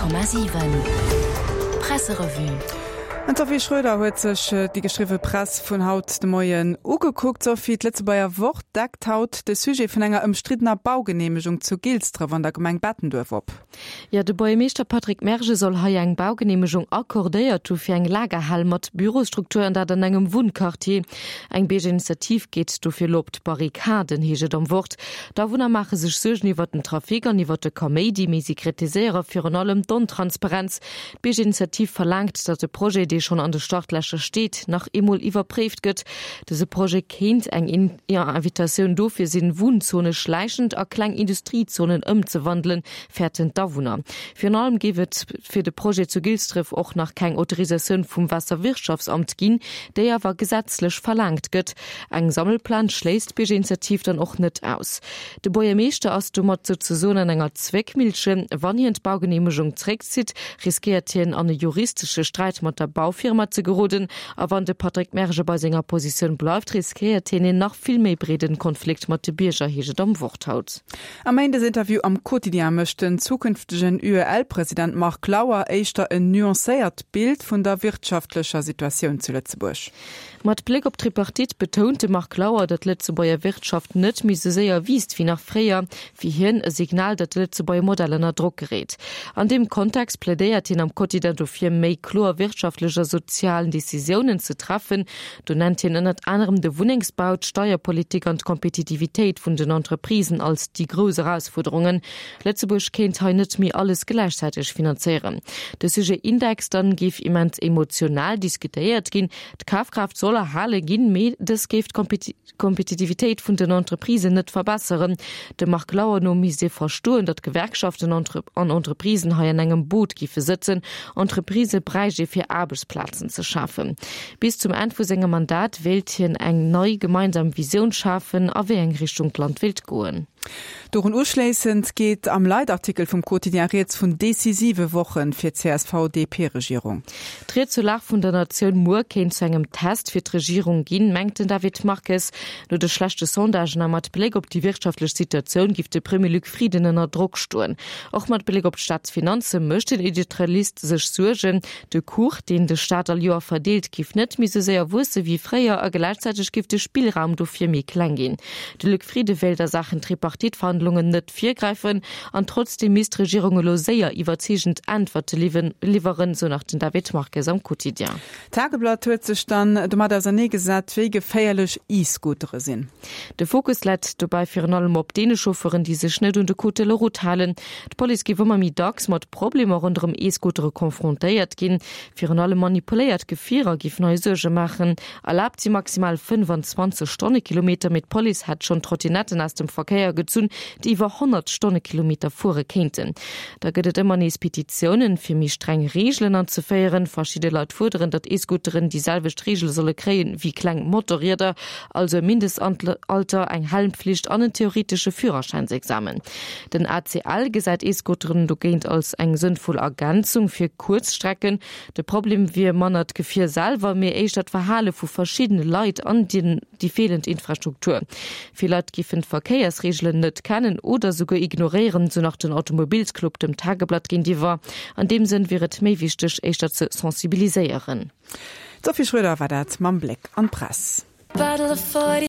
100,7 Presserevue. An d'Sophie Schröder huet sech déi geschriwwe Press vun haut de Moien ugekuckt. Sophie, d'Lëtzebuerger Wort deckt haut de Sujet vun enger ëmstriddener Baugeneemegung zu Gilsdref an der Gemeng Bettenduerf op. Jo, de Buergermeeschter Patrick Mergen soll hei eng Baugeneemegung accordéiert hu fir eng Lagerhal mat Bürosstruktur an dat an engem Wunnquartier. Eng Biergerinitiativ geet dofir elo op d'Barrikaden, heescht et am Wort. D'Awunner maache sech Suergen iwwert den Trafic an iwwert de Kaméidi, mee si kritiséiere virun allem d'Ontransparenz. D'Biergerinitiativ verlaangt, datt de Projet, dee schonn an de Startlächer steet, nach eemol iwwerpréift gëtt. Dëse Projet kéint eng Invitatioun dofir sinn, Wunnzone schläichend a kleng Industriezonen ëmzewandelen, fäerten d'Awunner. Virun allem géif et fir de Projet zu Gilsdref och nach keng Autorisatioun vum Waasserwirtschaftsamt ginn, déi awer gesetzlech verlaangt gëtt. Eng Sammelplainte schléisst d'Biergerinitiativ dann och net aus. De Buergermeeschter ass domat souzesoen an enger Zwéckmillchen. Wann hien d'Baugeneemegung zréckzitt, riskéiert hien an e juristesche Sträit mat der Baufirma ze geroden. A wann de Patrick Mergen bei senger Positioun bleift, riskéiert hien een nach vill méi breeden Konflikt mat de Bierger, heescht et am Wort haut. Am Méindesinterview am Quotidien mécht den zukünftegen UEL-President Marc Lauer éischter en nuancéiert Bild vun der wirtschaftlecher Situatioun zu Lëtzebuerg. Mat Bléck op d'Tripartite betount de Marc Lauer, datt d'Lëtzebuerger Wirtschaft net méi sou séier wiisst wéi nach fréier. Fir hien e Signal, datt de Lëtzebuerger Modell ënner Drock geréit. An deem Kontext plädéiert hien am Quotidien dofir, méi kloer wirtschaftlech a sozialen Decisiounen ze treffen. Do nennt hien ënnert anerem de Wunnengsbau, d'Steierpolitik an d'Kompetitivitéit vun den Entreprisen als déi grouss Erausfuerderungen. Lëtzebuerg kéint hei net méi alles gläichzäiteg finanzéieren. De Sujet Index dann géif immens emotional diskutéiert ginn. D'Kafkraaft soll erhale ginn, mee dës géif d'Kompetitivitéit vun den Entreprisen net verbesseren. Dem Marc Lauer no misst ee verstoen, datt Gewerkschaften an Entreprisen hei an engem Boot géife sëtzen. Entreprisë bräicht ee fir Aarbechtsplazen ze schafen. Bis zum Enn vu sengem Mandat wéilt hien eng nei gemeinsam Visioun schafen, a wéi eng Richtung d'Land wéilt goen. Dorun uschléissend geet am Leitartikel vum Quotidien rieds vun decisive Woche fir d'CSV-DP-Regierung. D'Ried zur Lag vun der Natioun muer kéint zu engem Test fir d'Regierung ginn, mengt den David Marques. No de schlechte Sondagen a mat Bléck op déi wirtschaftlech Situatioun giff de Premier Luc Frieden ënner Drock stoen. Och mat Bléck op d'Staatsfinanze mécht den Editorialist sech Suergen. De Kuch, deen de Staat all Joer verdeelt, giff net méi sou séier wuesse wéi fréier a gläichzäiteg giff de Spillraum dofir méi kleng ginn. De Luc Frieden wéilt a Saachen Tripartite-Verhandlungen net virgräifen an trotzdeem misst d'Regierung elo séier iwwerzeegend Äntwerte liwweren, sou nach den David Marques am Quotidien. D'Tageblatt huet sech dann domat ausernee gesat, wéi geféierlech E-Scootere sinn. De Fokus läit dobäi virun allem op deene Chauffeuren, déi sech net un de Code de la route halen. D'Police géif ëmmer méi dacks mat Problemer ronderëm E-Scootere confrontéiert ginn. Virun allem manipuléiert Gefierer géifen hei Suerge maachen. Erlaabt si maximal 25 Stonnekilometer, mee d'Police hätt schonn Trottinetten aus dem Verkéier gezunn, déi iwwer 100 Stonnekilometer fuere kéinten. Da gëtt et ëmmer nees Petitiounen, fir méi streng Reegelen anzeféieren. Verschidde Leit fuerderen, datt E-Scooteren déi selwecht Reegele solle kréien, wéi kleng Motorrieder, also e Mindestalter, eng Helmpflicht an en theoretesche Führerschäinsexamen. Den ACL gesäit E-Scooteren dogéint als eng sënnvoll Ergänzung fir Kuerzstrecken. De Problem wier manner d'Gefier selwer, mee éischter d'Verhale vu verschiddene Leit an déi feelend Infrastruktur. Vill Leit géifen d'Verkéiersreegelen net kennen oder souguer ignoréieren, sou nach den Automobilsclub dem Tageblatt géintiwwer. An deem Sënn wier et méi wichteg, éischter ze sensibiliséieren. D'Sophie Schröder war dat mam Bléck an d'Press.